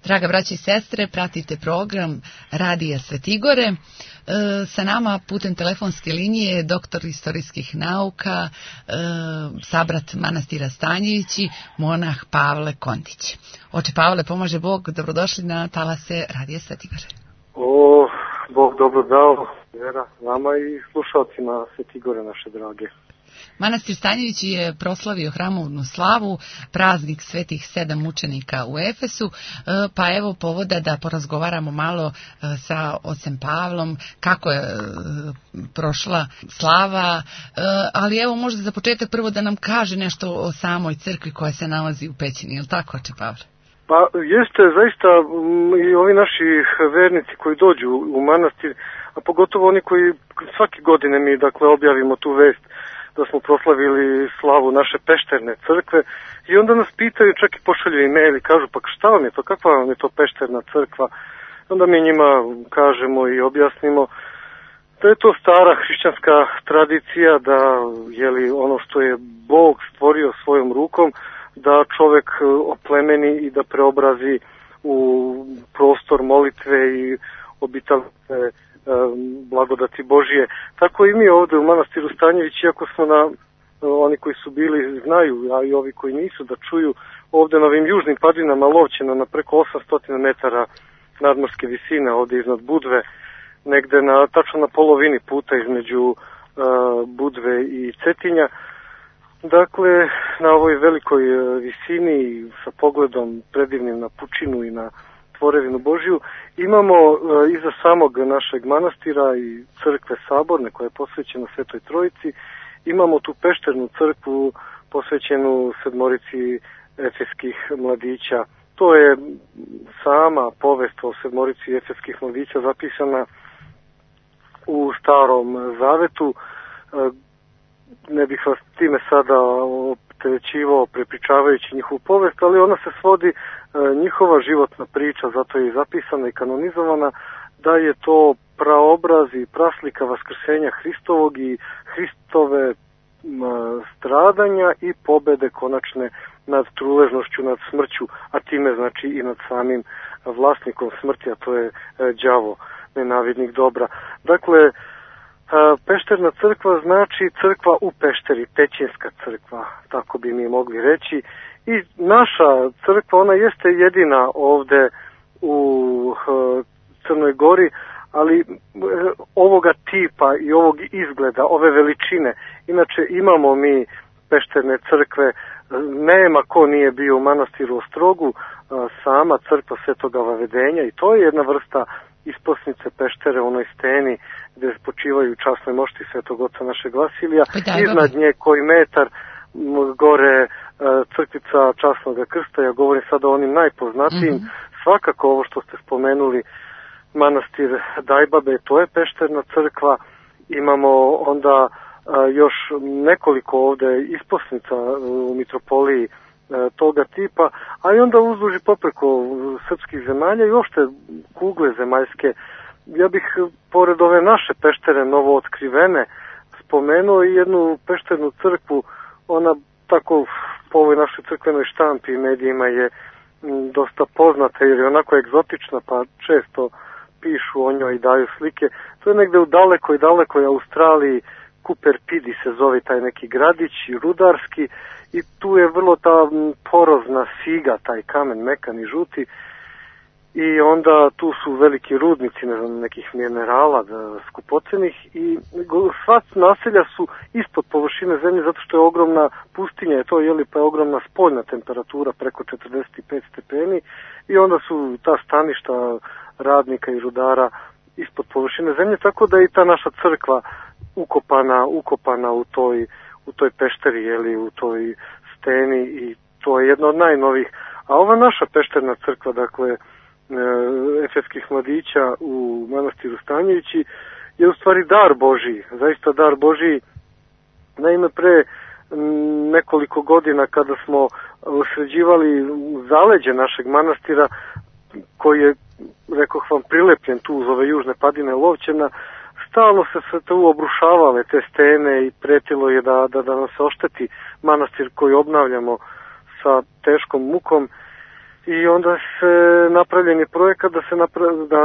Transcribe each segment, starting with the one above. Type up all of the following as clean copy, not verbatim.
Draga braći i sestre, pratite program Radija Svetigore. Sa nama putem telefonske linije doktor istorijskih nauka, sabrat manastira Stanjevići, monah Pavle Kondić. Oče Pavle, pomaže Bog, dobrodošli na talase Radija Svetigore. O, Bog dobro dao, vera vama i slušalcima Svetigore naše drage. Manastir Stanjevići je proslavio hramovnu slavu, praznik svetih 7 mučenika u Efesu, pa evo povoda da porazgovaramo malo sa ocem Pavlom kako je prošla slava, ali evo možda za početak prvo da nam kaže nešto o samoj crkvi koja se nalazi u pećini, je li tako, oče Pavle? Pa jeste, zaista i ovi naši vernici koji dođu u manastir, a pogotovo oni koji svake godine mi objavimo tu vest da smo proslavili slavu naše pešterne crkve i onda nas pitaju, čak i pošalju e-mail i kažu pa šta vam je to, kakva vam je to pešterna crkva. Onda mi njima kažemo i objasnimo da je to stara hrišćanska tradicija da ono što je Bog stvorio svojom rukom da čovek oplemeni i da preobrazi u prostor molitve i obitavne blagodati Božije. Tako i mi ovde u manastiru Stanjević, iako smo oni koji su bili znaju, a i ovi koji nisu, da čuju ovde na ovim južnim padinama Lovćena na preko 800 metara nadmorske visine, ovde iznad Budve, negde tačno na polovini puta između Budve i Cetinja. Dakle, na ovoj velikoj visini sa pogledom predivnim na pučinu i na tvorevinu Božiju, imamo iza samog našeg manastira i crkve saborne koja je posvećena Svetoj Trojici, imamo tu pešternu crkvu posvećenu sedmorici efeskih mladića. To je sama povest o sedmorici efeskih mladića zapisana u Starom Zavetu. Ne bih vas time sada opterećivao prepričavajući njihovu povest, ali ona se svodi, njihova životna priča, zato je i zapisana i kanonizovana, da je to praobraz i praslika vaskrsenja Hristovog i Hristove stradanja i pobede konačne nad truležnošću, nad smrću, a time znači i nad samim vlasnikom smrti, a to je đavo, nenavidnik dobra. Dakle, pešterna crkva znači crkva u pešteri, pećinska crkva, tako bi mi mogli reći. I naša crkva, ona jeste jedina ovde u Crnoj Gori, ali ovoga tipa i ovog izgleda, ove veličine. Inače imamo mi pešterne crkve, nema ko nije bio u manastiru Ostrogu, sama crkva Svetoga Vavedenja, i to je jedna vrsta isposnice peštere u onoj steni gde počivaju časnoj mošti Svetog oca našeg Vasilija. Iznad nje koji metar gore crkvica Časnog Krsta, ja govorim sada o onim najpoznatijim. Svakako ovo što ste spomenuli, manastir Dajbabe, to je pešterna crkva. Imamo onda još nekoliko ovde isposnica u mitropoliji toga tipa, a i onda uzduž i popreko srpskih zemalja i uopšte kugle zemaljske. Ja bih pored ove naše peštere novo otkrivene spomenuo i jednu pešternu crkvu, ona tako po ovoj našoj crkvenoj štampi i medijima je dosta poznata jer je onako egzotična, pa često pišu o njoj i daju slike. To je negde u dalekoj Australiji, Cooper Pedy se zove taj neki gradić, rudarski, i tu je vrlo ta porozna figa, taj kamen mekan i žuti, i onda tu su veliki rudnici, nekih minerala skupocenih, i sva naselja su ispod površine zemlje zato što je ogromna pustinja, pa je ogromna spoljna temperatura preko 45 stepeni, i onda su ta staništa radnika i rudara ispod površine zemlje, tako da je i ta naša crkva ukopana u toj pešteri, u toj steni, i to je jedna od najnovijih. A ova naša pešterna crkva, dakle, efeskih mladića u manastiru Stanjevići, je u stvari dar Božiji, zaista dar Božiji. Naime, pre nekoliko godina kada smo sređivali zaleđe našeg manastira, koji je, rekoh vam, prilepljen tu uz ove južne padine Lovćena, stalno se tu obrušavale te stene i pretilo je da nam se ošteti manastir koji obnavljamo sa teškom mukom. i onda se napravljen je projekat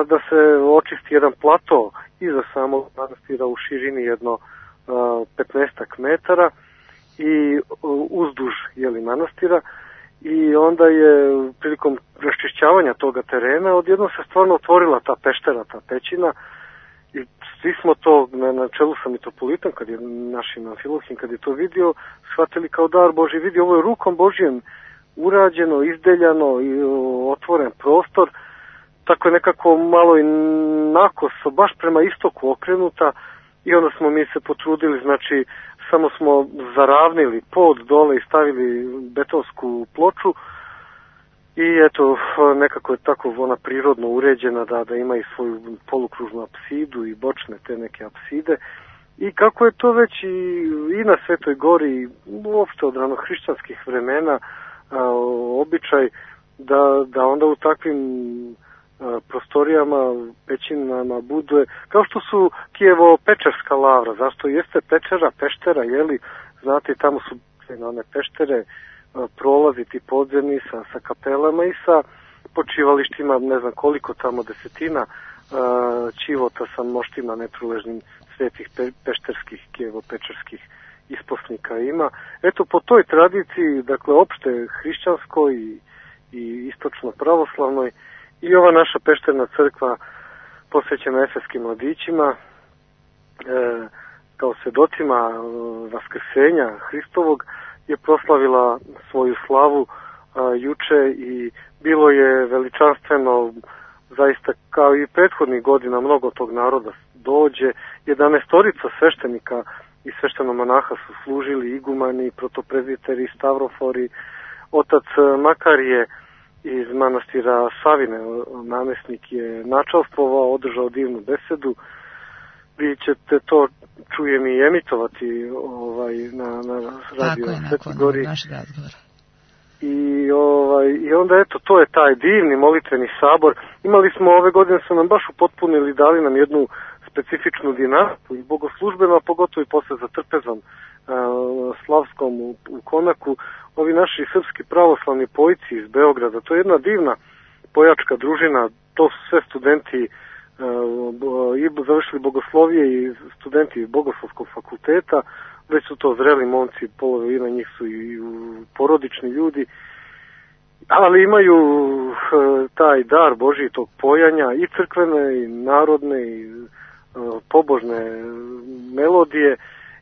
da se očisti jedan plato iza samog manastira u širini jedno 15 metara i uzduž manastira, i onda je prilikom raščišćavanja toga terena odjednom se stvarno otvorila ta peštera, ta pećina, i svi smo to, na čelu sa mitropolitom, kad je našim Amfilohim, kad je to vidio, shvatili kao dar Božji. Vidi, ovo je rukom Božjim urađeno, izdeljano i otvoren prostor, tako je nekako malo i nakoso, baš prema istoku okrenuta, i onda smo mi se potrudili, znači samo smo zaravnili pod dole i stavili betonsku ploču, i eto, nekako je tako ona prirodno uređena da ima i svoju polukružnu apsidu i bočne te neke apside, i kako je to već i na Svetoj Gori, uopšte od ranohrišćanskih vremena, običaj da onda u takvim prostorijama, pećinama bude, kao što su Kijevo-Pečerska lavra, zašto jeste peštera, znate, tamo su one peštere, prolazi ti podzemni sa kapelama i sa počivalištima, ne znam koliko tamo desetina čivota sa moštima netruležnim svetih pešterskih, Kijevo-Pečerskih isposnika ima. Eto, po toj tradiciji, dakle, opšte hrišćanskoj i istočno pravoslavnoj, i ova naša pešterna crkva posvećena efeskim mladićima, kao svedocima vaskrsenja Hristovog, je proslavila svoju slavu juče, i bilo je veličanstveno, zaista, kao i prethodnih godina, mnogo tog naroda dođe. 11 sveštenika i sveštenomonaha su služili, igumani, protoprezbiteri, stavrofori, otac Makarije iz manastira Savine, namesnik, je načalstvovao, održao divnu besedu. Vi ćete to, čujem, i emitovati na radio Svetoj Gori. I onda eto, to je taj divni molitveni sabor. Imali smo ove godine, su nam baš upotpunili, dali nam jednu specifičnu dinamiku i bogoslužbeno, a pogotovo i posle za trpezom slavskom u Konaku, ovi naši srpski pravoslavni pojici iz Beograda. To je jedna divna pojačka družina, to su sve studenti i završili bogoslovije i studenti Bogoslovskog fakulteta, već su to zreli momci, polovina njih su i porodični ljudi, ali imaju taj dar Božji, tog pojanja, i crkvene i narodne i pobožne melodije,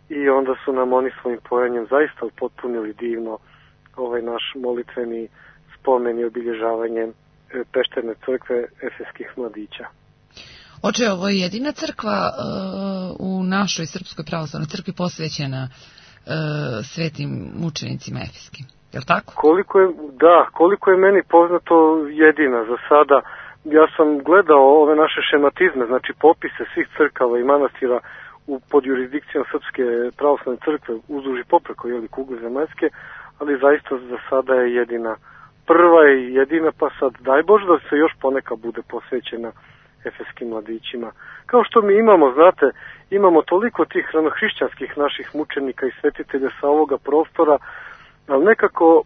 i onda su nam oni svojim pojanjem zaista upotpunili divno ovaj naš molitveni spomen i obilježavanje pešterne crkve efeskih mladića. Oče, ovo je jedina crkva u našoj Srpskoj pravoslavnoj crkvi posvećena svetim mučenicima efeskim, je li tako? Koliko je meni poznato, jedina za sada. Ja sam gledao ove naše šematizme, znači popise svih crkava i manastira pod jurisdikcijom Srpske pravoslavne crkve uzduž i popreko kugle zemaljske, ali zaista za sada je jedina, prva i jedina, pa sad daj Bože da se još poneka bude posvećena efeskim mladićima. Kao što mi imamo, znate, imamo toliko tih ranohrišćanskih naših mučenika i svetitelja sa ovoga prostora, ali nekako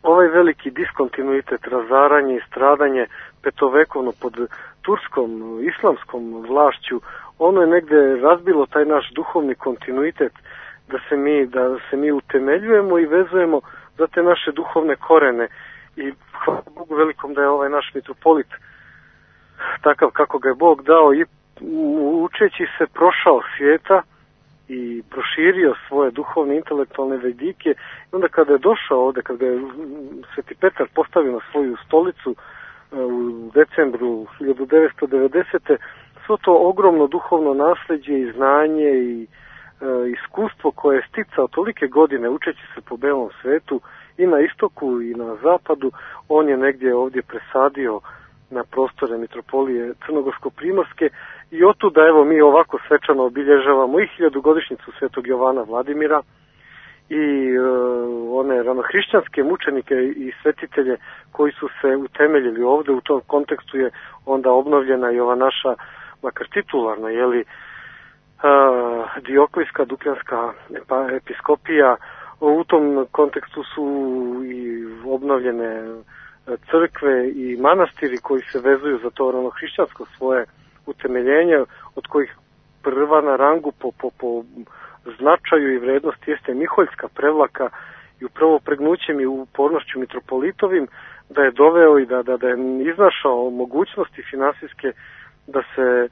ovaj veliki diskontinuitet, razaranje i stradanje petovekovno pod turskom, islamskom vlašću, ono je negde razbilo taj naš duhovni kontinuitet, da se mi utemeljujemo i vezujemo za te naše duhovne korene. I hvala Bogu velikom da je ovaj naš mitropolit takav kako ga je Bog dao, i učeći se prošao svijeta i proširio svoje duhovne intelektualne vedike. I onda kada je došao ovde, kada je Sveti Petar postavio na svoju stolicu u decembru 1990. svo to ogromno duhovno nasleđe i znanje i iskustvo koje je sticao tolike godine učeći se po belom svetu i na istoku i na zapadu, on je negdje ovdje presadio na prostore mitropolije Crnogorsko-Primorske, i otuda evo mi ovako svečano obilježavamo i 1000-godišnjicu Svetog Jovana Vladimira i one ranohrišćanske mučenike i svetitelje koji su se utemeljili ovde. U tom kontekstu je onda obnovljena i ova naša, makar titularna, Dioklijska Dukljanska episkopija. U tom kontekstu su i obnovljene crkve i manastiri koji se vezuju za to ranohrišćansko svoje utemeljenje, od kojih prva na rangu po značaju i vrednosti jeste Miholjska prevlaka i upravo pregnućem i upornošću mitropolitovim da je doveo i da je iznašao mogućnosti finansijske da se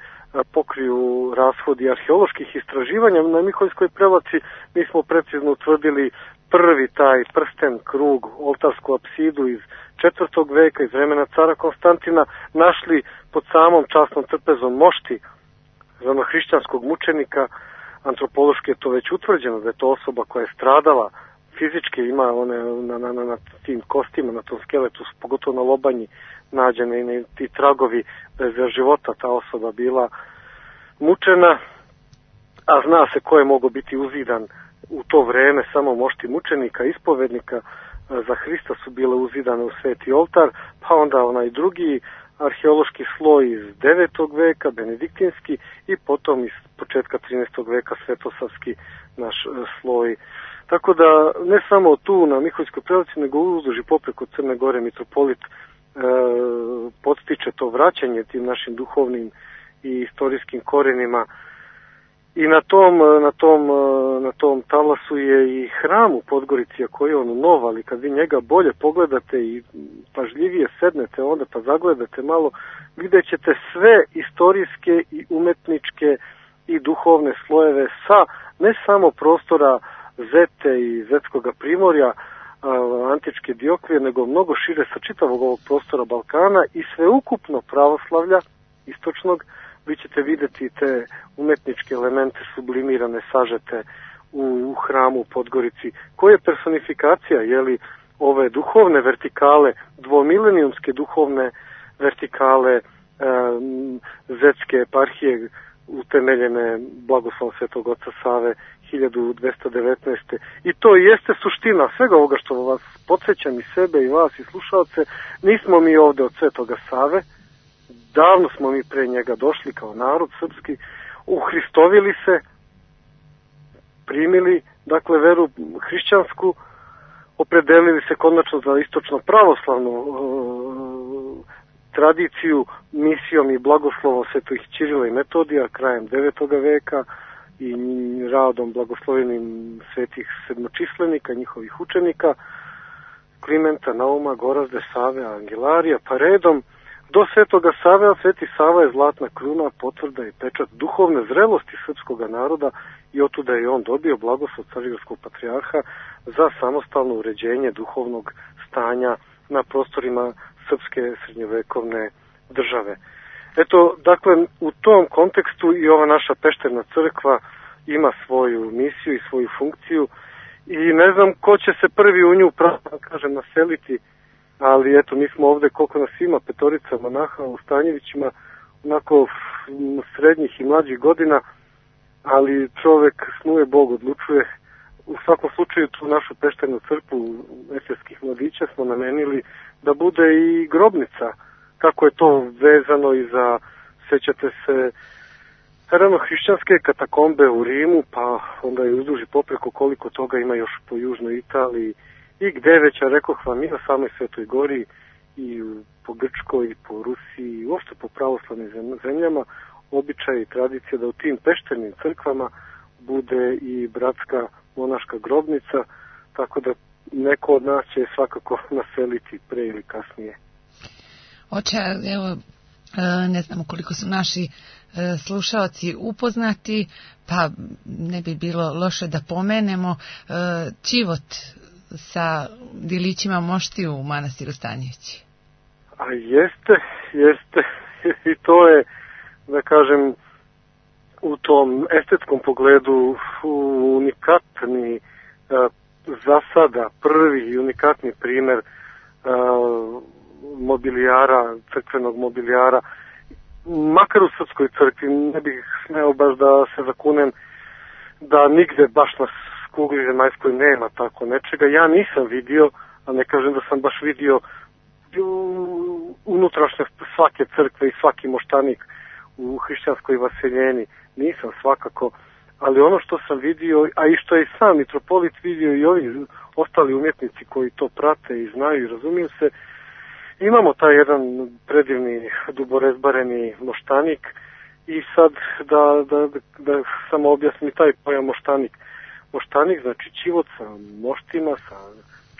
pokriju rashodi arheoloških istraživanja. Na Miholjskoj prevlaci mi smo precizno utvrdili prvi taj prsten, krug, oltarsku apsidu iz 4. veka, iz vremena cara Konstantina, našli pod samom časnom trpezom mošti ranohrišćanskog mučenika. Antropološki je to već utvrđeno da je to osoba koja je stradala fizički, ima one na tim kostima, na tom skeletu, pogotovo na lobanji nađene i ti tragovi da je za života ta osoba bila mučena, a zna se ko je mogao biti uzidan u to vreme, samo mošti mučenika, ispovednika za Hrista su bile uzidane u sveti oltar, pa onda onaj drugi arheološki sloj iz 9. veka, benediktinski, i potom iz početka 13. veka svetosavski naš sloj. Tako da ne samo tu na Miholjskoj prevlaci, nego uzduž i popreko Crne Gore mitropolit podstiče to vraćanje tim našim duhovnim i istorijskim korenima. I na tom talasu je i hram u Podgorici, koji je on nov, ali kad vi njega bolje pogledate i pažljivije sednete onda pa zagledate malo, vidjet ćete sve istorijske i umetničke i duhovne slojeve sa ne samo prostora Zete i Zetskoga primorja, antičke Diokije, nego mnogo šire sa čitavog ovog prostora Balkana i sveukupno pravoslavlja istočnog. Vi ćete vidjeti te umetničke elemente sublimirane, sažete u hramu u Podgorici, koje je personifikacija, ove duhovne vertikale, dvomilenijumske duhovne vertikale Zetske eparhije, utemeljene blagoslovom Svetog Oca Save 1219. I to jeste suština svega ovoga što vas podsjećam i sebe i vas i slušalce. Nismo mi ovde od Svetoga Save, davno smo mi pre njega došli kao narod srpski, uhristovili se, primili, dakle, veru hrišćansku, opredelili se konačno za istočno pravoslavnu tradiciju misijom i blagoslovom svetih Ćirila i Metodija krajem 9. veka i radom blagoslovenim svetih sedmočislenika, njihovih učenika, Klimenta, Nauma, Gorazde, Save, Angelarija, pa redom do Svetoga Save, a Sveti Sava je zlatna kruna, potvrda i pečat duhovne zrelosti srpskog naroda i otuda je on dobio blagoslov Carigradskog patrijarha za samostalno uređenje duhovnog stanja na prostorima srpske srednjovekovne države. Eto, dakle, u tom kontekstu i ova naša pešterna crkva ima svoju misiju i svoju funkciju i ne znam ko će se prvi u nju naseliti, ali eto, mi smo ovde, koliko nas ima, 5 monaha u Stanjevićima, onako srednjih i mlađih godina, ali čovek snuje, Bog odlučuje. U svakom slučaju tu našu pešternu crkvu efeskih mladića smo namenili da bude i grobnica, kako je to vezano i za, sećate se, ranohrišćanske katakombe u Rimu, pa onda je uzduži popreko koliko toga ima još po južnoj Italiji i gde već, a rekoh vam, i na samoj Svetoj Gori i po Grčkoj i po Rusiji i uopšte po pravoslavnim zemljama običaj i tradicija da u tim pešternim crkvama bude i bratska monaška grobnica, tako da neko od nas će svakako naseliti pre ili kasnije. Oče, evo, ne znam koliko su naši slušaoci upoznati, pa ne bi bilo loše da pomenemo čivot sa dilićima mošti u manastiru Stanjevići. A jeste, i to je, da kažem, u tom estetskom pogledu unikatni, za sada prvi i unikatni primer mobilijara, crkvenog mobilijara, makar u srpskoj crkvi. Ne bih smeo baš da se zakunem da nigde baš na kugli zemaljskoj nema tako nečega. Ja nisam vidio, a ne kažem da sam baš vidio unutrašnjost svake crkve i svaki moštanik u hrišćanskoj vaseljeni. Nisam svakako, ali ono što sam vidio, a i što je i sam mitropolit vidio i ovi ostali umjetnici koji to prate i znaju i razumiju se, Imamo taj jedan predivni duborezbareni moštanik i sad da samo objasnim taj pojam moštanik. Moštanik znači čivot sa moštima, sa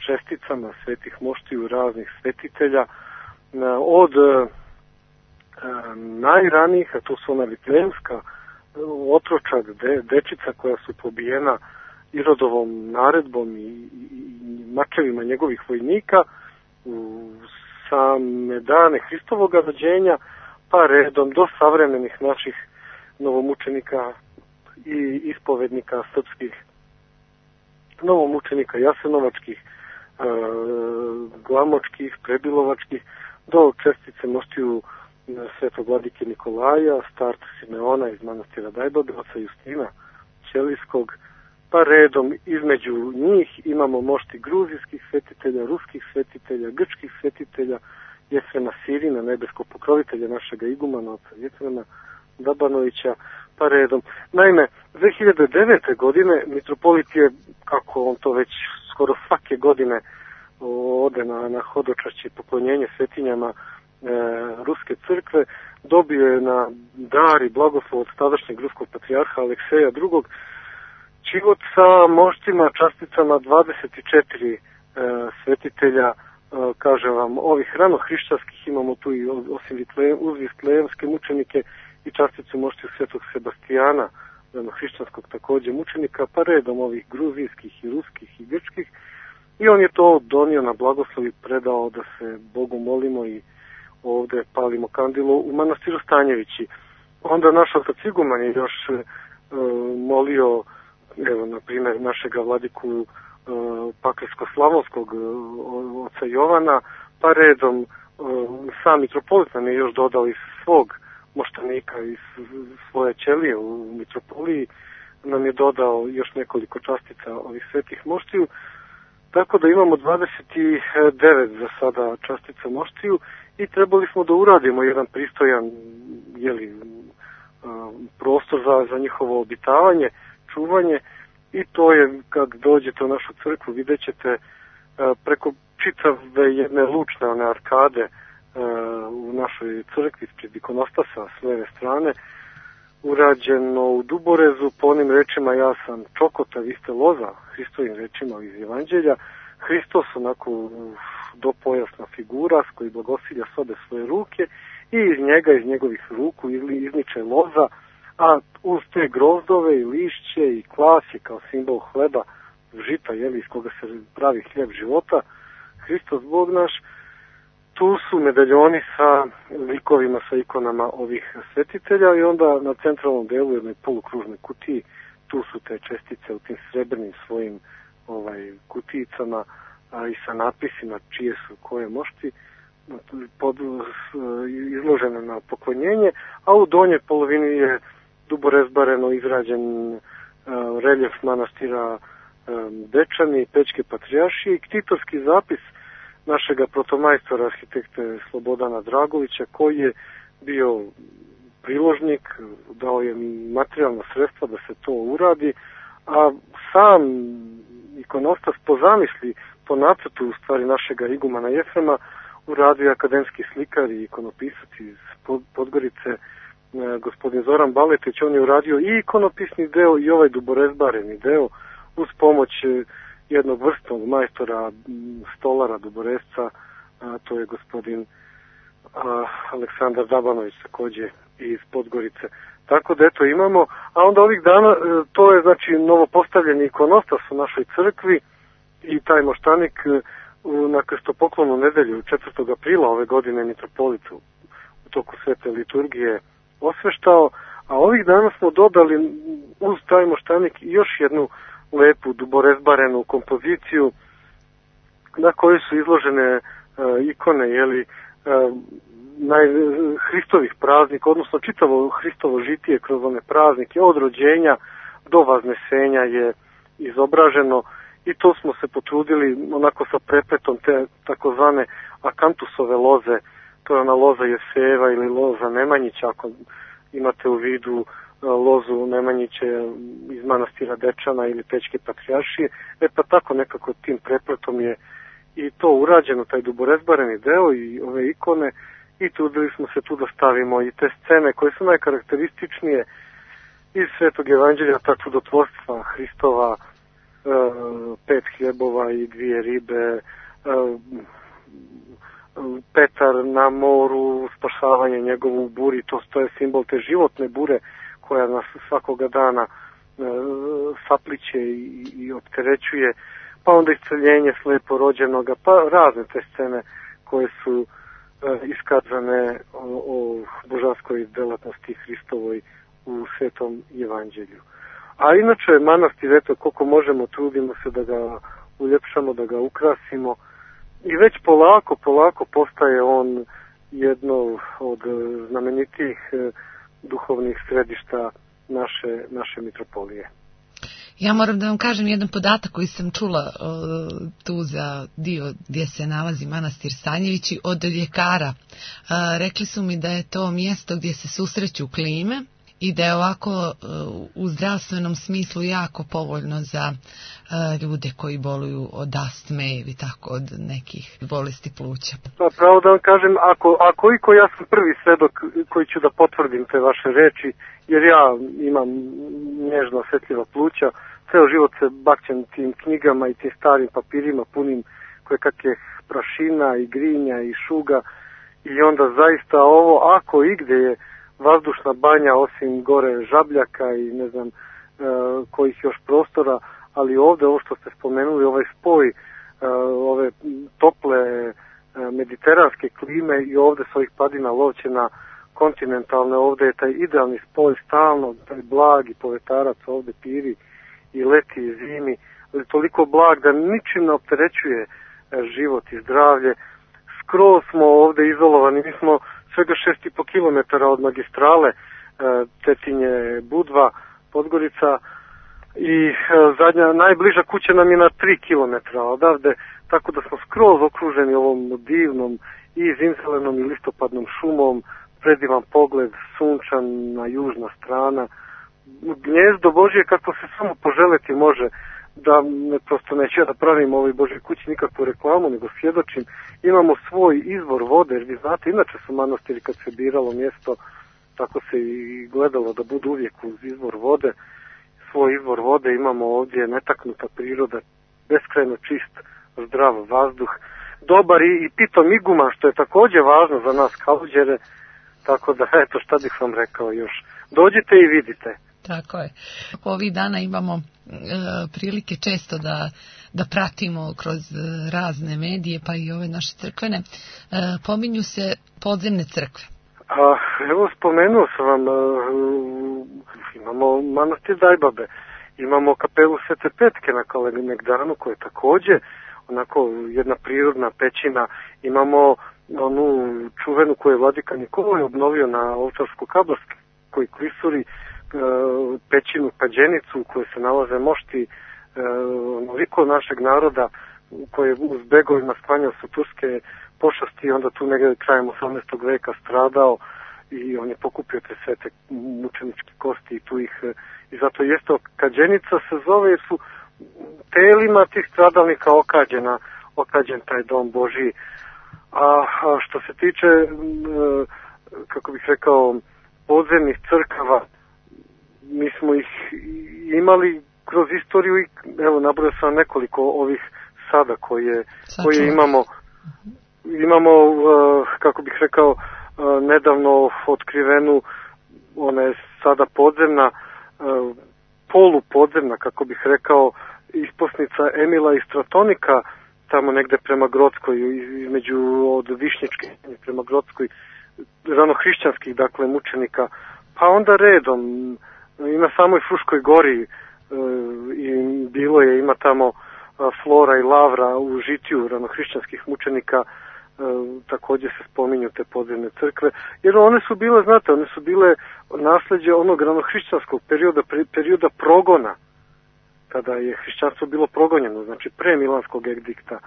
česticama svetih moštiju raznih svetitelja od najranijih, a to su ona Vitlejemska otročad, dečica koja su pobijena Irodovom naredbom i mačevima njegovih vojnika u same dane Hristovog rođenja, pa redom do savremenih naših novomučenika i ispovednika srpskih, novomučenika jasenovačkih, glamočkih, prebilovačkih, do čestice moštiju svetog vladike Nikolaja, starca Simeona iz manastira Dajbabe, oca Justina Ćelijskog, pa redom između njih imamo mošti gruzijskih svetitelja, ruskih svetitelja, grčkih svetitelja, Jefrema Sirina, nebeskog pokrovitelja našega igumana, oca Jefrema Dabanovića, pa redom. Naime, 2009. godine mitropolit je, kako on to već skoro svake godine ode na hodočašće i poklonjenje svetinjama Ruske crkve, dobio je na dar i blagoslov od tadašnjeg ruskog patrijarha Alekseja II. Čivot sa moštima, časticama 24 svetitelja, kažem vam, ovih ranohrišćanskih, imamo tu i osim uz vitlejemske mučenike i časticu moštiju svetog Sebastijana, ranohrišćanskog takođe mučenika, pa redom ovih gruzijskih i ruskih i grčkih, i on je to donio na blagoslov i predao da se Bogu molimo i ovde palimo kandilu u manastiru Stanjevići. Onda naš otac iguman je još molio, evo, na primjer, našega vladiku Pakrsko-Slavonskog oca Jovana, pa redom sam mitropolit nam je još dodao iz svog moštanika, iz svoje ćelije u mitropoliji, nam je dodao još nekoliko častica ovih svetih moštiju, tako da imamo 29 za sada častica moštiju i trebali smo da uradimo jedan pristojan prostor za njihovo obitavanje, čuvanje, i to je, kad dođete u našu crkvu, vidjet ćete preko čitave jedne lučne one arkade u našoj crkvi ispred ikonostasa s leve strane, urađeno u duborezu po onim rečima ja sam čokota, vi ste loza, Hristovim rečima iz Evanđelja. Hristos onako dopojasna figura s koji blagosilja sobe svoje ruke i iz njega, iz njegovih ruku izniče loza, a uz te grozdove i lišće i klasje kao simbol hleba, žita, iz koga se pravi hljeb života, Hristos Bog naš. Tu su medaljoni sa likovima, sa ikonama ovih svetitelja i onda na centralnom delu jednoj polukružnoj kutiji, tu su te čestice u tim srebrnim svojim kutijicama, a i sa napisima čije su koje mošti izložene na poklonjenje, a u donjoj polovini je duborezbareno izrađen reljef manastira Dečani, Pećke patrijaršije i ktitorski zapis našega protomajstora arhitekte Slobodana Dragovića, koji je bio priložnik, dao je materijalna sredstva da se to uradi, a sam ikonostas po zamisli, po nacrtu u stvari našega igumana Jefrema, uradio akademski slikar i ikonopisac iz Podgorice, gospodin Zoran Baletić. On je uradio i ikonopisni deo i ovaj duborezbareni deo uz pomoć jednog vrstnog majstora, stolara, duborezca, to je gospodin Aleksandar Dabanović, takođe iz Podgorice. Tako da eto imamo, a onda ovih dana, to je znači novopostavljeni ikonostas u našoj crkvi i taj moštanik na krstopoklonu nedelju 4. aprila ove godine mitropolitu u toku svete liturgije osveštao, a ovih dana smo dodali uz taj moštanik još jednu lepu duborezbarenu kompoziciju na kojoj su izložene ikone, Hristovih praznika, odnosno čitavo Hristovo žitije kroz one praznike, od rođenja do vaznesenja je izobraženo i to smo se potrudili onako sa prepletom te takozvane akantusove loze, to je ona loza Jeseva ili loza Nemanjića, ako imate u vidu lozu Nemanjiće iz manastira Dečana ili Pećke patrijaršije, pa tako nekako tim prepletom je i to urađeno, taj duborezbareni deo i ove ikone, i trudili smo se tu da stavimo i te scene koje su najkarakterističnije iz Svetog evanđelja, ta čudotvorstva Hristova, 5 hljebova i 2 ribe, Petar na moru, spašavanje njegovu u buri, to je simbol te životne bure koja nas svakoga dana sapliće i opterećuje, pa onda isceljenje slepo rođenoga, pa razne te scene koje su iskazane o božanskoj delatnosti Hristovoj u Svetom evanđelju. A inače, manastir, eto, koliko možemo, trudimo se da ga uljepšamo, da ga ukrasimo i već polako postaje on jedno od znamenitijih duhovnih središta naše mitropolije. Ja moram da vam kažem jedan podatak koji sam čula tu za dio gdje se nalazi manastir Stanjevići od ljekara. Rekli su mi da je to mjesto gdje se susreću klime i da je ovako u zdravstvenom smislu jako povoljno za ljude koji boluju od astme ili tako od nekih bolesti pluća. Pa pravo da vam kažem, ako ja sam prvi svedok koji ću da potvrdim te vaše reči, jer ja imam nježno osjetljiva pluća, ceo život se bakćem tim knjigama i tim starim papirima punim koje kakve prašina i grinja i šuga, i onda zaista ovo, ako igde je vazdušna banja osim gore Žabljaka i ne znam kojih još prostora, ali ovde ovo što ste spomenuli, ovaj spoj ove tople mediteranske klime i ovde s ovih padina Lovćena kontinentalne, ovde je taj idealni spoj stalno, taj blag i povetarac ovde piri i leti i zimi, ali toliko blag da ničim ne opterećuje život i zdravlje. Skroz smo ovde izolovani, mi smo svega 6,5 km od magistrale Cetinje, Budva, Podgorica, i najbliža kuća nam je na 3 km odavde, tako da smo skroz okruženi ovom divnom i zimzelenom i listopadnom šumom, predivan pogled, sunčana južna strana, gnjezdo Božje kako se samo poželeti može, da prosto neću da pravim ovoj Božoj kući nikakvu reklamu, nego svjedočim, imamo svoj izvor vode, jer vi znate, inače su manastiri kad se biralo mjesto, tako se i gledalo da budu uvijek uz izvor vode. Svoj izvor vode imamo ovdje, netaknuta priroda, beskrajno čist, zdrav vazduh, dobar i pitom iguman, što je također važno za nas Kalođere, tako da eto šta bih vam rekao još. Dođite i vidite. Tako je. Ovih dana imamo prilike često da pratimo kroz razne medije, pa i ove naše crkvene. Pominju se podzemne crkve. Evo, spomenuo sam vam, imamo manastir Dajbabe, imamo kapelu Svete Petke na Kalemegdanu, koja je također onako jedna prirodna pećina, imamo onu čuvenu koju je vladika Nikolaj obnovio na Ovčarsko-Kablarskoj klisuri, pećinu Pađenicu u kojoj se nalaze mošti onoliko našeg naroda koje uz begovima sklanjao su turske pošasti, onda tu negdje krajem 18. veka stradao i on je pokupio te svete mučeničke kosti i tu ih, i zato jeste Kađenica se zove, jer su telima tih stradalnika okađen taj dom Božiji. A što se tiče, kako bih rekao, podzemnih crkava, mi smo ih imali kroz istoriju i evo nabrojao sam nekoliko ovih sada koje imamo. Imamo, kako bih rekao, nedavno otkrivenu, ona je sada podzemna, polupodzemna, kako bih rekao, isposnica Emila i Stratonika, tamo negde prema Grockoj, između od Višnjičke prema Grockoj, ranohrišćanskih, dakle, mučenika, pa onda redom, i na samoj Fruškoj gori i ima tamo Flora i Lavra u žitiju ranohrišćanskih mučenika, također se spominju te podzemne crkve, jer one su bile, znate, one su bile nasljeđe onog ranohrišćanskog perioda progona, kada je hrišćanstvo bilo progonjeno, znači pre Milanskog edikta,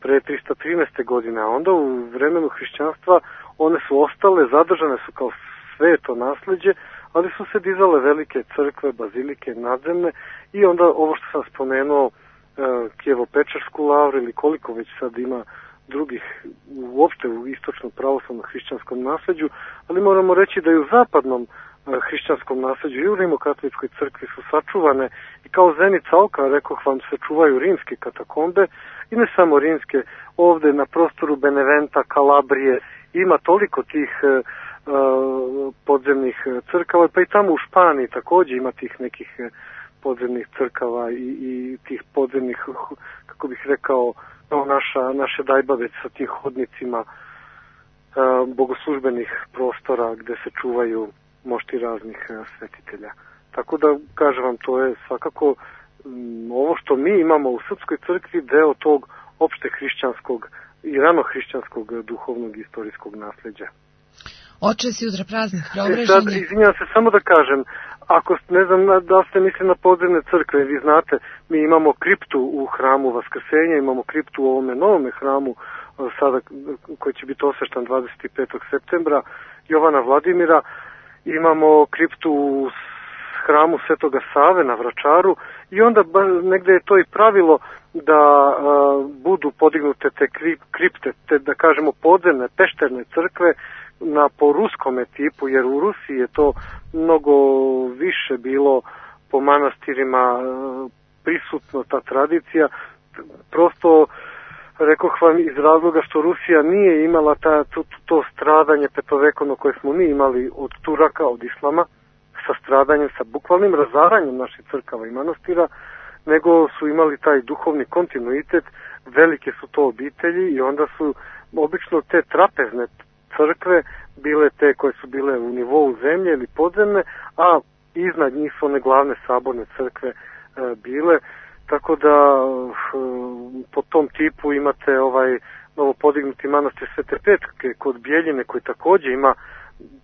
pre 313. godine, a onda u vremenu hrišćanstva one su ostale, zadržane su kao sveto nasljeđe, ali su se dizale velike crkve, bazilike, nadzemne, i onda ovo što sam spomenuo, Kijevo-Pečersku lavru ili koliko već sad ima drugih uopšte u istočnom pravoslavnom hrišćanskom nasljeđu, ali moramo reći da i u zapadnom hrišćanskom nasljeđu i u Rimokatoličkoj crkvi su sačuvane i kao zenica oka, rekoh vam, se čuvaju rimske katakombe i ne samo rimske, ovde na prostoru Beneventa, Kalabrije ima toliko tih podzemnih crkava, pa i tamo u Španiji takođe ima tih nekih podzemnih crkava i tih podzemnih, kako bih rekao, naše Dajbavec sa tim hodnicima bogoslužbenih prostora gde se čuvaju mošti raznih svetitelja. Tako da, kažem vam, to je svakako ovo što mi imamo u Srpskoj crkvi deo tog opšte hrišćanskog i ranohrišćanskog duhovnog i istorijskog nasleđa. Oče, si udra praznih preobraženja. Sad, izvinjam se, samo da kažem, ako ne znam da ste mislili na podzemne crkve, vi znate, mi imamo kriptu u hramu Vaskrsenja, imamo kriptu u ovome novome hramu sada koji će biti osveštan 25. septembra Jovana Vladimira, imamo kriptu u hramu Svetoga Save na Vračaru i onda negde je to i pravilo da budu podignute te kripte, te da kažemo podzemne, pešterne crkve po ruskome tipu, jer u Rusiji je to mnogo više bilo po manastirima prisutno ta tradicija. Prosto, rekoh vam, iz razloga što Rusija nije imala to stradanje petovekovno koje smo mi imali od Turaka, od Islama, sa stradanjem, sa bukvalnim razaranjem naših crkava i manastira, nego su imali taj duhovni kontinuitet, velike su to obitelji i onda su obično te trapezne crkve bile te koje su bile u nivou zemlje ili podzemne, a iznad njih su one glavne saborne crkve bile, tako da po tom tipu imate novo podignuti manastir Svete Petke kod Bjeljine koji takođe ima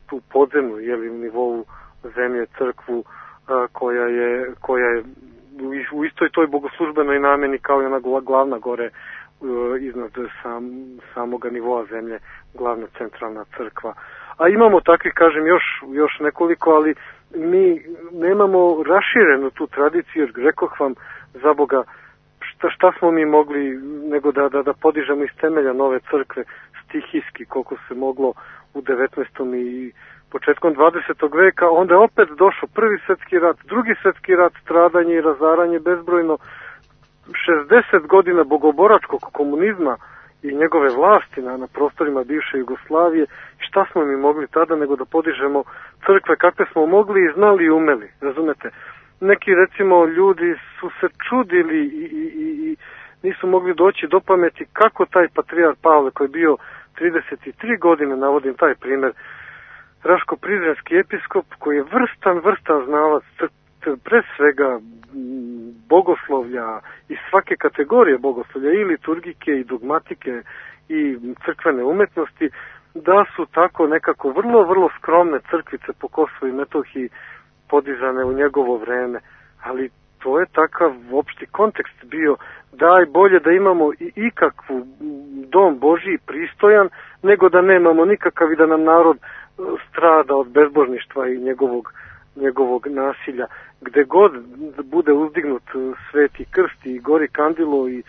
tu podzemnu u nivou zemlje crkvu koja je u istoj toj bogoslužbenoj nameni kao i ona glavna gore iznad samoga nivoa zemlje, glavna centralna crkva. A imamo takvih, kažem, još nekoliko, ali mi nemamo raširenu tu tradiciju, jer rekoh vam, za Boga, šta smo mi mogli nego da podižemo iz temelja nove crkve stihijski, koliko se moglo u 19. i početkom 20. veka, onda je opet došao Prvi svjetski rat, Drugi svjetski rat, stradanje i razaranje bezbrojno, 60 godina bogoboračkog komunizma i njegove vlasti na prostorima bivše Jugoslavije. Šta smo mi mogli tada nego da podižemo crkve kakve smo mogli i znali i umeli, razumete? Neki, recimo, ljudi su se čudili i nisu mogli doći do pameti kako taj patrijar Pavle, koji je bio 33 godine, navodim taj primer, Raško-Prizrenski episkop, koji je vrstan znalac pre svega bogoslovlja i svake kategorije bogoslovlja, i liturgike, i dogmatike, i crkvene umetnosti, da su tako nekako vrlo skromne crkvice po Kosovu i Metohiji podizane u njegovo vreme. Ali to je takav opšti kontekst bio. Daj bolje da imamo i ikakvu dom Božji pristojan, nego da nemamo nikakav i da nam narod strada od bezbožništva i njegovog nasilja. Gde god bude uzdignut Sveti krst i gori kandilo i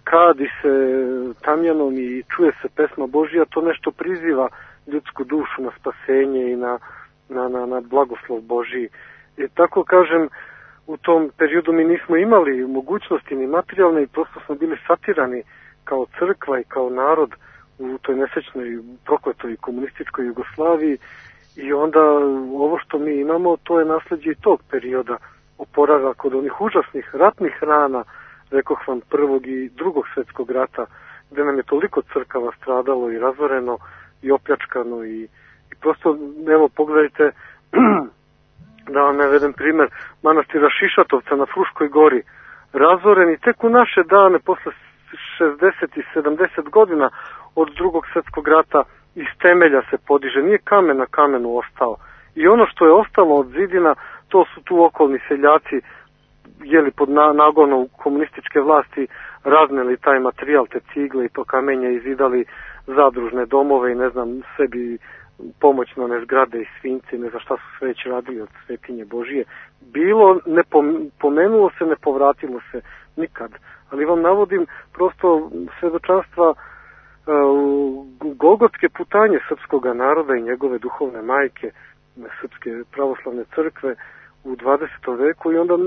kadi se tamjanom i čuje se pesma Božja, to nešto priziva ljudsku dušu na spasenje i na blagoslov Božji. I tako, kažem, u tom periodu mi nismo imali mogućnosti ni materijalne i prosto smo bili satirani kao crkva i kao narod u toj nesrećnoj, prokletoj komunističkoj Jugoslaviji. I onda ovo što mi imamo, to je nasleđe i tog perioda, oporavak od onih užasnih ratnih rana, rekoh vam, Prvog i Drugog svjetskog rata, gde nam je toliko crkava stradalo i razoreno i opljačkano i prosto, evo, pogledajte, da vam navedem primer, manastira Šišatovca na Fruškoj gori, razoren i tek u naše dane, posle 60 i 70 godina od Drugog svjetskog rata, iz temelja se podiže, nije kamen na kamenu ostao. I ono što je ostalo od zidina, to su tu okolni seljaci, pod nagonom komunističke vlasti, razneli taj materijal, te cigle i to kamenje, i zidali zadružne domove i ne znam, sebi pomoćno zgrade i svinci, ne znam šta su sve već radili od svetinje Božije. Bilo, ne pomenulo se, ne povratilo se nikad. Ali vam navodim prosto svedočanstva golgotske putanje srpskoga naroda i njegove duhovne majke, Srpske pravoslavne crkve u 20. veku i onda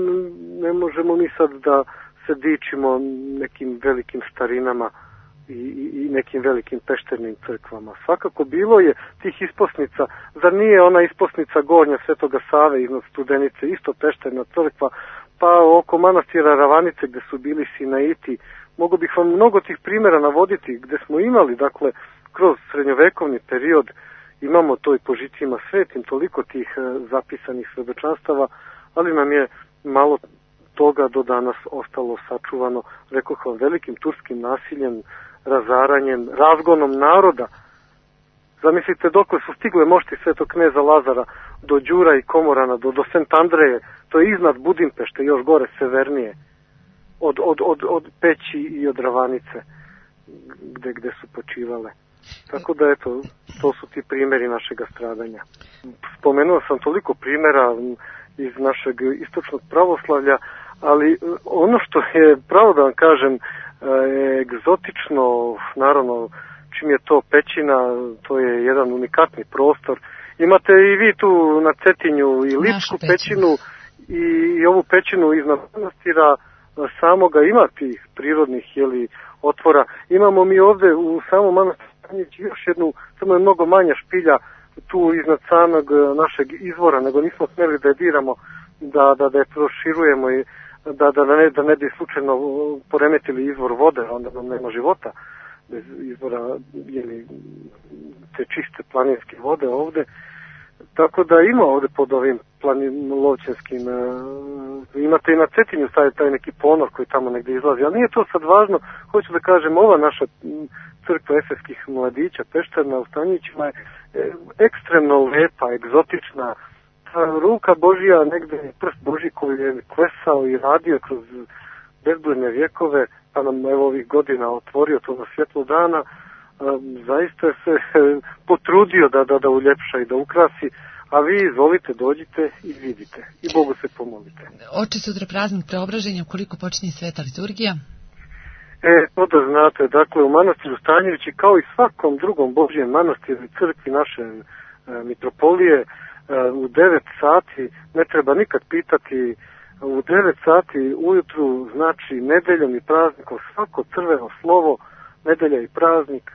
ne možemo mi sad da se dičimo nekim velikim starinama i nekim velikim pešternim crkvama. Svakako bilo je tih isposnica, zar nije ona isposnica Gornja Svetoga Save iznad Studenice, isto pešterna crkva, pa oko manastira Ravanice gde su bili Sinaiti. Mogu bih vam mnogo tih primjera navoditi gde smo imali, dakle, kroz srednjovekovni period imamo to i po žicima svetim, toliko tih zapisanih svedočanstava, ali nam je malo toga do danas ostalo sačuvano, rekoh vam, velikim turskim nasiljem, razaranjem, razgonom naroda. Zamislite dokle su stigle mošti Svetog kneza Lazara do Đura i Komorana, do Sent Andreje, to je iznad Budimpešte, još gore, severnije, od Peći i od Ravanice, gde su počivale. Tako da, eto, to su ti primjeri našega stradanja. Spomenuo sam toliko primjera iz našeg istočnog pravoslavlja, ali ono što je, pravo da vam kažem, egzotično, naravno, čim je to pećina, to je jedan unikatni prostor. Imate i vi tu na Cetinju i Ličku pećinu i ovu pećinu iznad manastira samoga, ima tih prirodnih otvora. Imamo mi ovde u samom manastiru još jednu, samo je mnogo manja špilja tu iznad samog našeg izvora, nego nismo smeli da je diramo, da je proširujemo i da ne bi slučajno poremetili izvor vode, onda nam nema života bez izvora te čiste planinske vode ovde. Tako da ima ovde pod ovim lovćenskim, imate i na Cetinju taj neki ponor koji tamo negde izlazi, ali nije to sad važno. Hoću da kažem, ova naša crkva efeskih mladića, pešterna u Stanjićima, je ekstremno lepa, egzotična. Ta ruka Božija, negde prst Božji koji je klesao i radio kroz bezbrojne vjekove, pa nam evo ovih godina otvorio to na svjetlo dana, zaista se potrudio da uljepša i da ukrasi, a vi izvolite, dođite i vidite i Bogu se pomolite. Oče, sutra praznik Preobraženja, koliko počinje sveta liturgija? To da znate, dakle u manastiru Stanjevići, kao i svakom drugom Božjem manastiru i crkvi naše mitropolije, u 9 sati, ne treba nikad pitati, u 9 sati ujutru, znači nedeljom i praznikom, svako crveno slovo, nedelja i praznik,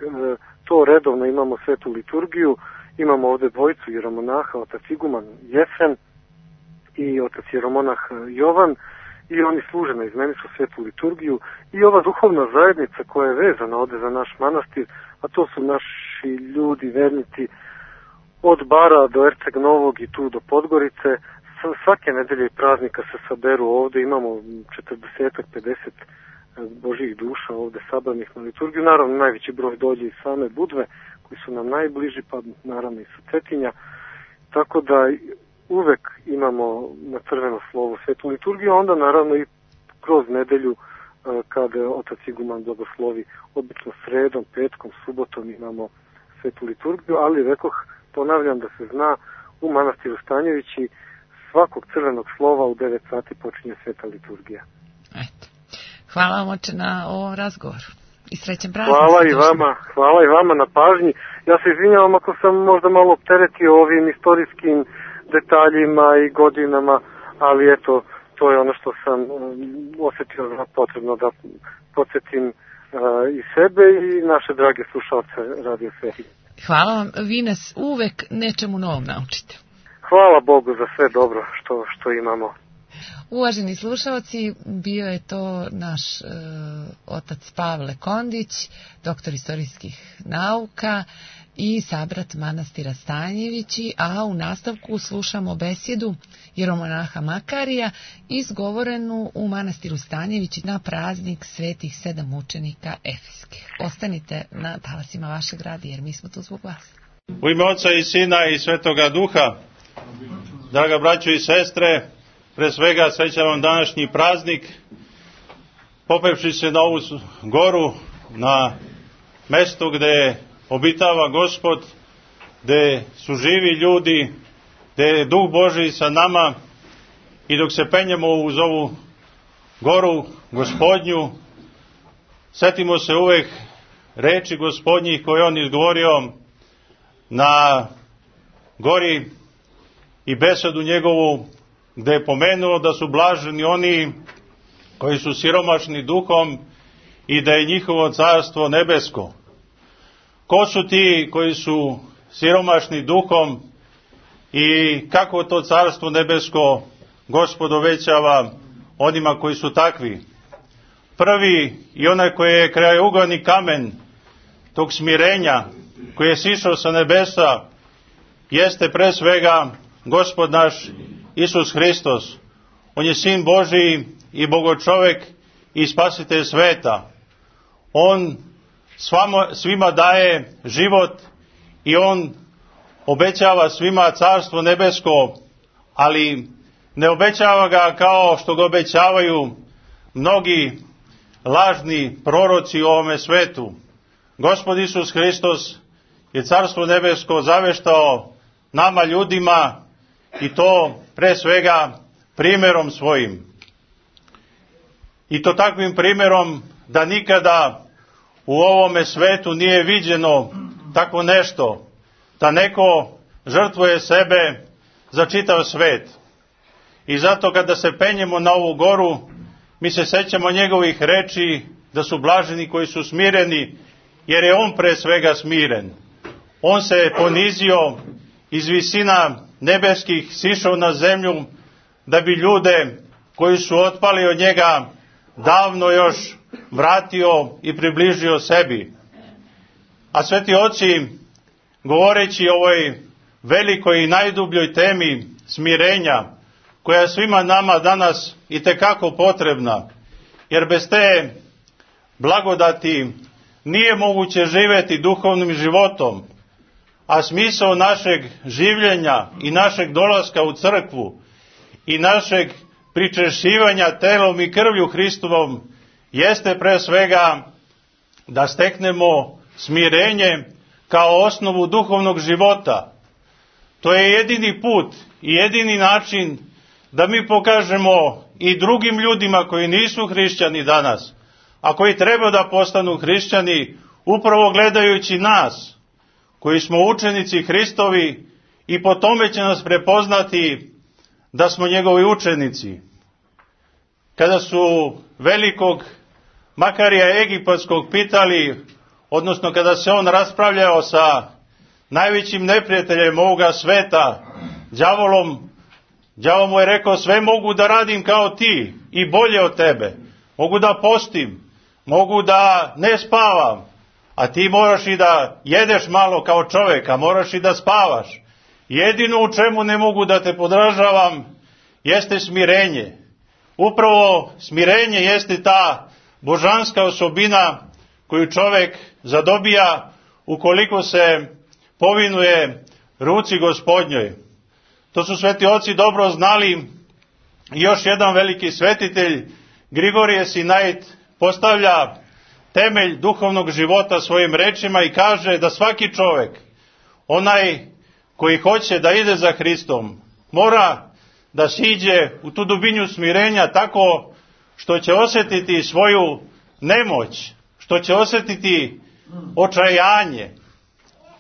to redovno imamo svetu liturgiju, imamo ovde dvojicu jeromonaha, otac iguman Jefren i otac jeromonah Jovan, i oni služe na izmenicu svetu liturgiju, i ova duhovna zajednica koja je vezana ovde za naš manastir, a to su naši ljudi, vernici, od Bara do Erceg Novog i tu do Podgorice. Svake nedelje i praznika se saberu ovde, imamo 40-50 Božjih duša ovde sabranih na liturgiju. Naravno, najveći broj dođe iz same Budve, koji su nam najbliži, pa naravno i sa Cetinja. Tako da uvek imamo na crveno slovo svetu liturgiju, a onda naravno i kroz nedelju kada otac iguman blagoslovi, obično sredom, petkom, subotom imamo svetu liturgiju, ali rekoh, ponavljam da se zna, u manastiru Stanjevići svakog crvenog slova u 9 sati počinje sveta liturgija. Eto. Hvala vam, oče, na ovom razgovoru i srećan praznik. Hvala i vama na pažnji. Ja se izvinjavam ako sam možda malo opteretio ovim istorijskim detaljima i godinama, ali eto, to je ono što sam osjetio za potrebno da podsjetim i sebe i naše drage slušalce Radio Sveti. Hvala vam, vi nas uvek nečemu novom naučite. Hvala Bogu za sve dobro što imamo. Uvaženi slušalci, bio je to naš otac Pavle Kondić, doktor istorijskih nauka i sabrat manastira Stanjevići, a u nastavku slušamo besjedu jeromonaha Makarija izgovorenu u manastiru Stanjevići na praznik svetih 7 mučenika efeskih. Ostanite na talasima vašeg radija jer mi smo tu zbog vas. U ime Oca i Sina i Svetoga Duha, draga braćo i sestre, pre svega srećan vam današnji praznik, popevši se na ovu goru, na mesto gde obitava Gospod, gde su živi ljudi, gde je Duh Božji sa nama, i dok se penjemo uz ovu goru Gospodnju, setimo se uvek reči Gospodnjih koje on izgovorio na gori i besedu njegovu, gde je pomenuo da su blaženi oni koji su siromašni duhom i da je njihovo carstvo nebesko. Ko su ti koji su siromašni duhom i kako to carstvo nebesko Gospod obećava onima koji su takvi? Prvi i onaj koji je krajeuglavni kamen tog smirenja koji je sišao sa nebesa jeste pre svega Gospod naš Isus Hristos. On je Sin Božiji i Bogočovek i Spasitelj sveta. On svima daje život i on obećava svima carstvo nebesko, ali ne obećava ga kao što ga obećavaju mnogi lažni proroci u ovome svetu. Gospod Isus Hristos je carstvo nebesko zaveštao nama ljudima i to pre svega primjerom svojim. I to takvim primjerom da nikada u ovome svetu nije viđeno tako nešto, da neko žrtvuje sebe za čitav svet. I zato kada se penjemo na ovu goru, mi se sećamo njegovih reči da su blaženi koji su smireni, jer je on pre svega smiren. On se ponizio iz visina nebeskih, sišao na zemlju da bi ljude koji su otpali od njega davno još vratio i približio sebi. A sveti oci, govoreći o ovoj velikoj i najdubljoj temi smirenja, koja je svima nama danas itekako potrebna, jer bez te blagodati nije moguće živjeti duhovnim životom, a smisao našeg življenja i našeg dolaska u crkvu i našeg pričešćivanja telom i krvlju Hristovom jeste pre svega da steknemo smirenje kao osnovu duhovnog života. To je jedini put i jedini način da mi pokažemo i drugim ljudima koji nisu hrišćani danas, a koji treba da postanu hrišćani, upravo gledajući nas, koji smo učenici Hristovi, i po tome će nas prepoznati da smo njegovi učenici. Kada su velikog Makarija Egipatskog pitali, odnosno kada se on raspravljao sa najvećim neprijateljem ovoga sveta, đavolom, đavo mu je rekao: sve mogu da radim kao ti i bolje od tebe. Mogu da postim, mogu da ne spavam, a ti moraš i da jedeš malo kao čovjek, a moraš i da spavaš. Jedino u čemu ne mogu da te podražavam jeste smirenje. Upravo smirenje jeste ta božanska osobina koju čovjek zadobija ukoliko se povinuje ruci Gospodnjoj. To su sveti oci dobro znali. I još jedan veliki svetitelj, Grigorije Sinait, postavlja temelj duhovnog života svojim rečima i kaže da svaki čovjek, onaj koji hoće da ide za Hristom, mora da siđe u tu dubinju smirenja tako što će osjetiti svoju nemoć, što će osjetiti očajanje.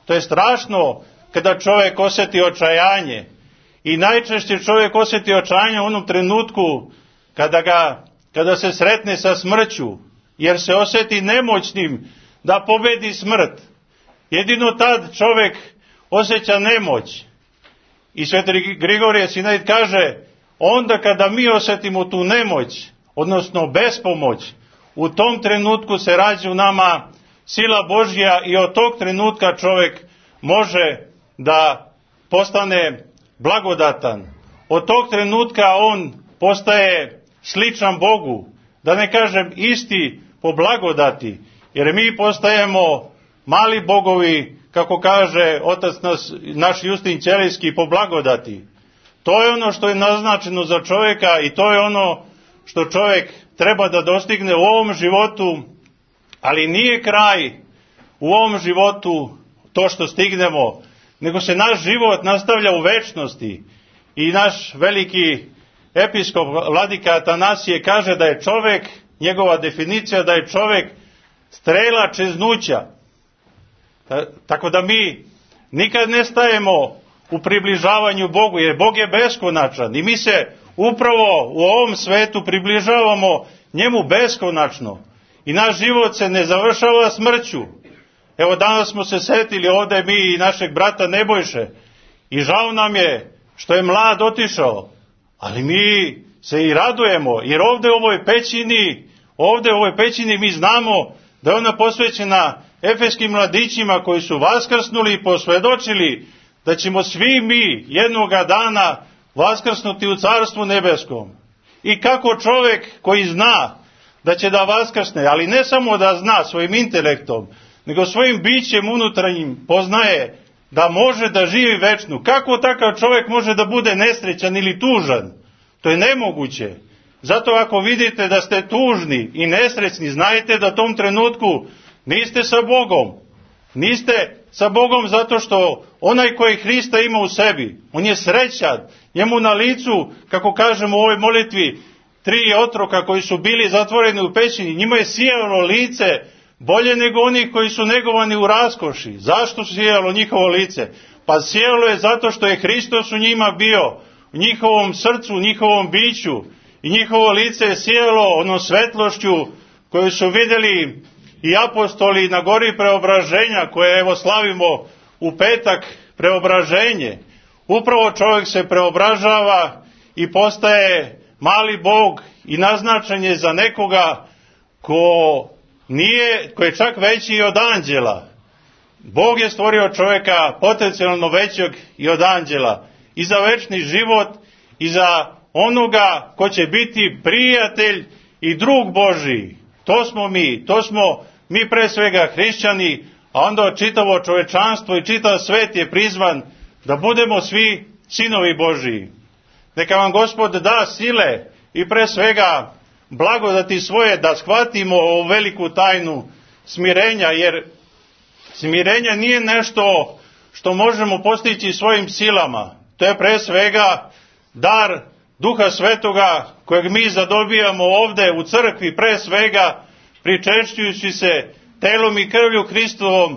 To je strašno kada čovjek osjeti očajanje. I najčešće čovjek osjeti očajanje u onom trenutku kada se sretne sa smrću, jer se osjeti nemoćnim da pobedi smrt. Jedino tad čovjek osjeća nemoć. I sveti Grigorije Sinait kaže, onda kada mi osjetimo tu nemoć, odnosno bespomoć, u tom trenutku se rađa u nama sila Božja i od tog trenutka čovjek može da postane blagodatan. Od tog trenutka on postaje sličan Bogu, da ne kažem isti po blagodati, jer mi postajemo mali bogovi, kako kaže otac naš Justin Ćelijski, po blagodati. To je ono što je naznačeno za čovjeka i to je ono što čovjek treba da dostigne u ovom životu, ali nije kraj u ovom životu to što stignemo, nego se naš život nastavlja u večnosti. I naš veliki episkop vladika Atanasije kaže da je čovek, njegova definicija da je čovek strela čeznuća. Tako da mi nikad ne stajemo u približavanju Bogu, jer Bog je beskonačan i mi se upravo u ovom svetu približavamo njemu beskonačno. I naš život se ne završava smrću. Evo danas smo se setili ovde mi i našeg brata Nebojše i žao nam je što je mlad otišao, ali mi se i radujemo, jer ovde u ovoj pećini mi znamo da je ona posvećena efeskim mladićima koji su vaskrsnuli i posvedočili da ćemo svi mi jednoga dana vaskrsnuti u Carstvu nebeskom. I kako čovek koji zna da će da vaskrsne, ali ne samo da zna svojim intelektom, nego svojim bićem unutrašnjim poznaje da može da živi večno. Kako takav čovjek može da bude nesrećan ili tužan? To je nemoguće. Zato ako vidite da ste tužni i nesrećni, znajte da u tom trenutku niste sa Bogom. Niste sa Bogom zato što onaj koji Hrista ima u sebi, on je srećan. Njemu na licu, kako kažemo u ovoj molitvi, 3 otroka koji su bili zatvoreni u pećini, njima je sijalo lice bolje nego onih koji su negovani u raskoši. Zašto sijalo njihovo lice? Pa sijalo je zato što je Hristos u njima bio, u njihovom srcu, u njihovom biću. I njihovo lice je sijalo onom svetlošću koju su vidjeli i apostoli na gori preobraženja, koje evo slavimo u petak, preobraženje. Upravo čovjek se preobražava i postaje mali Bog i naznačen je za nekoga ko je čak veći i od anđela. Bog je stvorio čovjeka potencijalno većeg i od anđela. I za večni život i za onoga ko će biti prijatelj i drug Božiji. To smo mi pre svega hrišćani, a onda čitavo čovečanstvo i čitav svet je prizvan da budemo svi sinovi Božiji. Neka vam Gospod da sile i pre svega blagodati svoje da shvatimo ovu veliku tajnu smirenja, jer smirenje nije nešto što možemo postići svojim silama. To je pre svega dar Duha Svetoga kojeg mi zadobijamo ovde u crkvi, pre svega pričešćujući se telom i krvlju Hristovom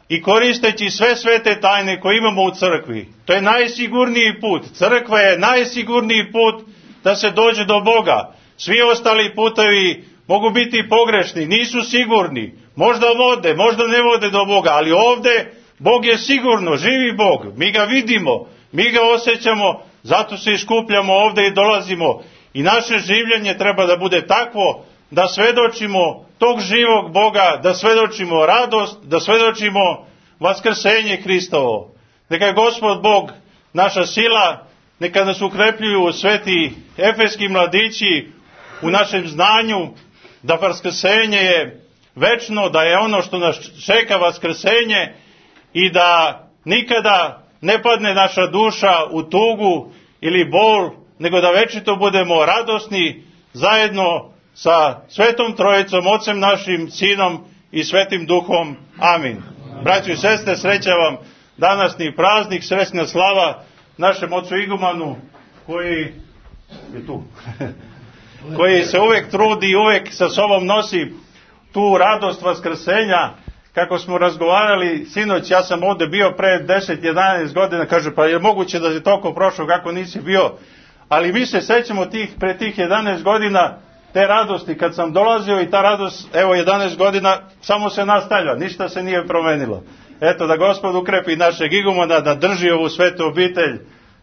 i koristeći sve svete tajne koje imamo u crkvi. To je najsigurniji put. Crkva je najsigurniji put da se dođe do Boga. Svi ostali putevi mogu biti pogrešni, nisu sigurni. Možda vode, možda ne vode do Boga, ali ovde Bog je sigurno, živi Bog. Mi ga vidimo, mi ga osjećamo, zato se iskupljamo ovde i dolazimo. I naše življenje treba da bude takvo da svedočimo tog živog Boga, da svedočimo radost, da svedočimo vaskrsenje Hristovo. Neka je Gospod Bog naša sila, neka nas ukrepljuju sveti efeski mladići u našem znanju, da vaskrsenje je večno, da je ono što nas čeka vaskrsenje i da nikada ne padne naša duša u tugu ili bol, nego da večito budemo radosni zajedno sa Svetom Trojicom, Ocem našim, Sinom i Svetim Duhom. Amin. Braćo i sestre, sreća vam danasni praznik, srećna slava našem ocu igumanu koji je tu, koji se uvek trudi i uvek sa sobom nosi tu radost vaskrsenja. Kako smo razgovarali sinoć, ja sam ovde bio pre 10-11 godina, kaže, pa je moguće da je toliko prošlo kako nisi bio, ali mi se sećamo pre tih 11 godina te radosti kad sam dolazio i ta radost, evo 11 godina, samo se nastavlja, ništa se nije promenilo. Eto, da Gospod ukrepi našeg igumana, da drži ovu svetu obitelj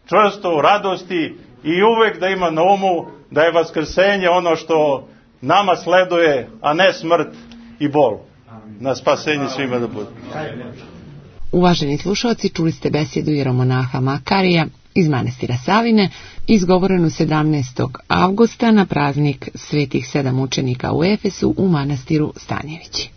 čvrsto u radosti i uvek da ima na umu da je vaskrsenje ono što nama sleduje, a ne smrt i bol. Na spasenje svima da bude. Uvaženi slušalci, čuli ste besedu jeromonaha Makarija iz manastira Savine, izgovorenu 17. avgusta na praznik svetih 7 mučenika u Efesu u manastiru Stanjevići.